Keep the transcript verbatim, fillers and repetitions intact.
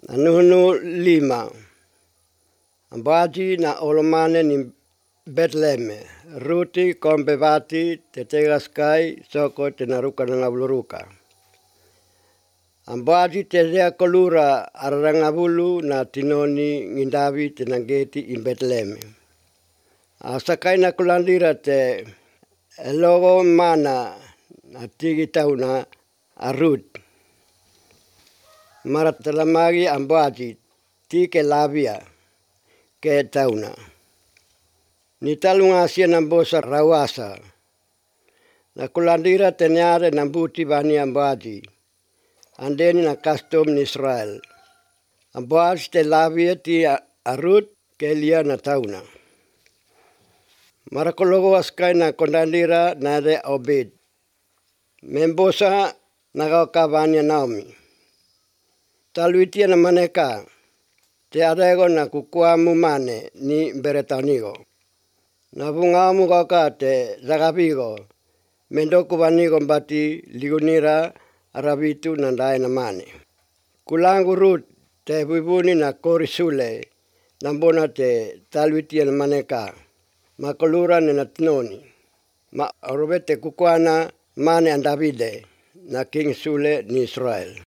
Anuhunu lima. Ambaji na olomane ni Betleme. Ruti kombevati te tegaskai soko te naruka na ngabuluruka. Ambaji te rea kolura ararangabulu na tinoni ngindavi te nangeti in Betleme. Asakai na kulandira te elogo mana na tigi tauna arut. Maratalamagi ambaji tike labia ke tauna. Ni talunga asia nambosa rawasa. Na kulandira tenyare nambuti bani ambaji. Andeni na custom ni Israel. Ambaji te labia ti arut ke lia na tauna. Marakologo askai na kondandira na de obed. Membosa nagauka bani Naomi. Taluitia na maneka. Te arego na kukuamu mane ni beretanigo. Na bungamu gauka te zagabigo. Mendoku banigo mbati ligunira arabitu na ndae na mane. Kulangu rut te buibuni na korisule. Nambona te taluitia na maneka. Makolura na tinoni. Ma orobete kukuana mane and Davide na King Sule ni Israel.